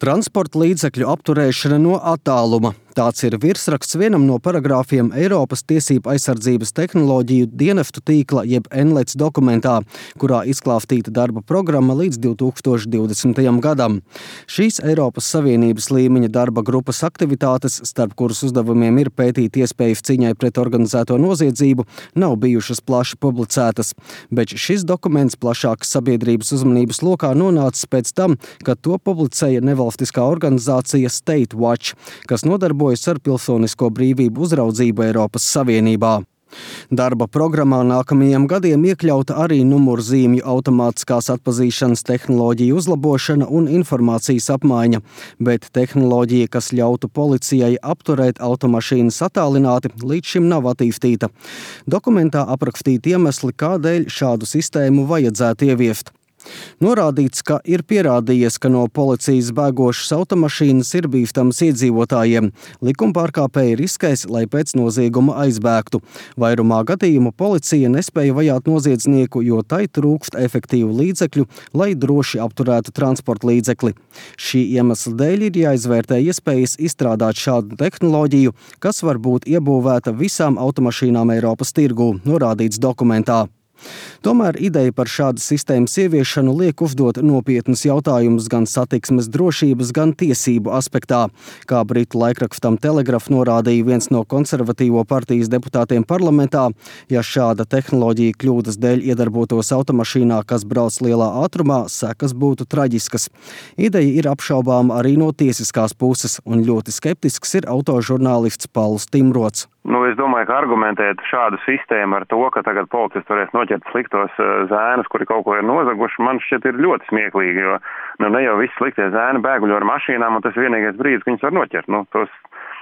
Transporta līdzekļu apturēšana no attāluma. Tāds ir virsraksts vienam no paragrāfiem Eiropas tiesību aizsardzības tehnoloģiju dienestu tīkla jeb NLEDS dokumentā, kurā izklāstīta darba programma līdz 2020. gadam. Šīs Eiropas Savienības līmeņa darba grupas aktivitātes, starp kuras uzdevumiem ir pētīt iespējas cīņai pret organizēto noziedzību, nav bijušas plaši publicētas. Bet šis dokuments plašākas sabiedrības uzmanības lokā nonācis pēc tam, kad to publicēja nevalstiskā organizācija State Watch, kas nodarbojas ar pilsonisko brīvību uzraudzību Eiropas Savienībā. Darba programmā nākamajiem gadiem iekļauta arī numurzīmju automātiskās atpazīšanas tehnoloģiju uzlabošana un informācijas apmaiņa, bet tehnoloģija, kas ļautu policijai apturēt automašīnas attālināti, līdz šim nav attīstīta. Dokumentā aprakstīti iemesli, kādēļ šādu sistēmu vajadzētu ieviest. Norādīts, ka ir pierādījies, ka no policijas bēgošas automašīnas ir bīstamas iedzīvotājiem. Likumpārkāpēji riskēs, lai pēc nozieguma aizbēgtu. Vairumā gadījumu policija nespēja vajāt noziedznieku, jo tai trūkst efektīvu līdzekļu, lai droši apturētu transporta līdzekli. Šī iemesla dēļ ir jāizvērtē iespējas izstrādāt šādu tehnoloģiju, kas var būt iebūvēta visām automašīnām Eiropas tirgū, norādīts dokumentā. Tomēr ideja par šādas sistēmas ieviešanu liek uzdot nopietnus jautājumus gan satiksmes drošības, gan tiesību aspektā. Kā britu laikrakstam Telegraph norādīja viens no konservatīvo partijas deputātiem parlamentā, ja šāda tehnoloģija kļūdas dēļ iedarbotos automašīnā, kas brauc lielā ātrumā, sekas būtu traģiskas. Ideja ir apšaubāma arī no tiesiskās puses, un ļoti skeptisks ir autožurnālists Pauls Timrots. Es domāju, ka argumentēt šādu sistēmu ar to, ka tagad policisti varēs noķert sliktos zēnus, kuri kaut ko ir nozaguši, man šķiet ir ļoti smieklīgi, jo ne jau visi sliktie zēni bēguļo ar mašīnām, un tas ir vienīgais brīdis, ka viņus var noķert. Tos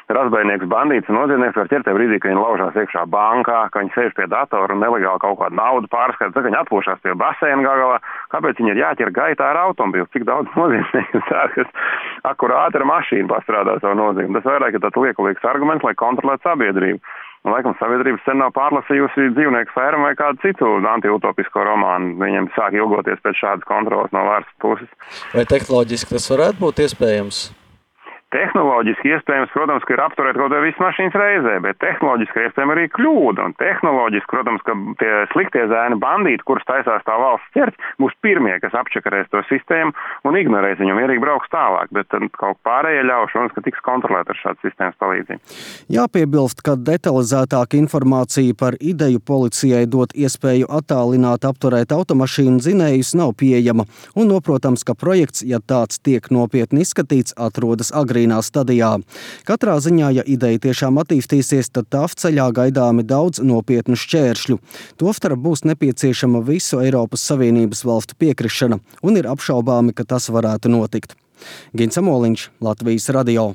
razbainieks, bandīts un noziedznieks var ķert tajā brīdī, ka viņi laužās iekšā bankā, ka viņi sēž pie datora un nelegāli kaut kādu naudu pārskata, tad viņi atpūšās pie baseina galā. Kāpēc viņi ir jāķer gaitā ar automobili? Cik daudz noziedznieku kas akurāti ar mašīnu pastrādā savu noziegumu? Tas vairāk ir tāds liekulīgs arguments, lai kontrolētu sabiedrību. Un, laikam, sabiedrība sen nav pārlasījusi Dzīvnieku fermu vai kādu citu antiutopisko romānu. Viņiem sāk ilgoties pēc šādas kontrolas no valsts puses. Vai tehnoloģiski tas varētu būt iespējams? Tehnoloģiski iespējams, protams, ka ir apturēt kaut vai visu mašīnas reizē, bet tehnoloģiski iespējams arī kļūda. Un tehnoloģiski, protams, ka tie sliktie zēni bandīti, kurus taisās tā valsts ķert, būs pirmie, kas apčakarēs to sistēmu un ignorēs viņu, mierīgi brauks tālāk. Bet kaut pārējie ļauši, ka tiks kontrolēt ar šādu sistēmas palīdzību. Jāpiebilst, ka detalizētāka informācija par ideju policijai dot iespēju attālināt apturēt automašīnu dzinējus nav pieejama. Un noprotams, ka projekts, ja tāds tiek nopietni izskatīts, atrodas agrīnā stadijā. Katrā ziņā, ja ideja tiešām attīstīsies, tad tā ceļā gaidāmi daudz nopietnu šķēršļu. Tostarp būs nepieciešama visu Eiropas Savienības valstu piekrišana, un ir apšaubāmi, ka tas varētu notikt. Gins Amoliņš, Latvijas radio.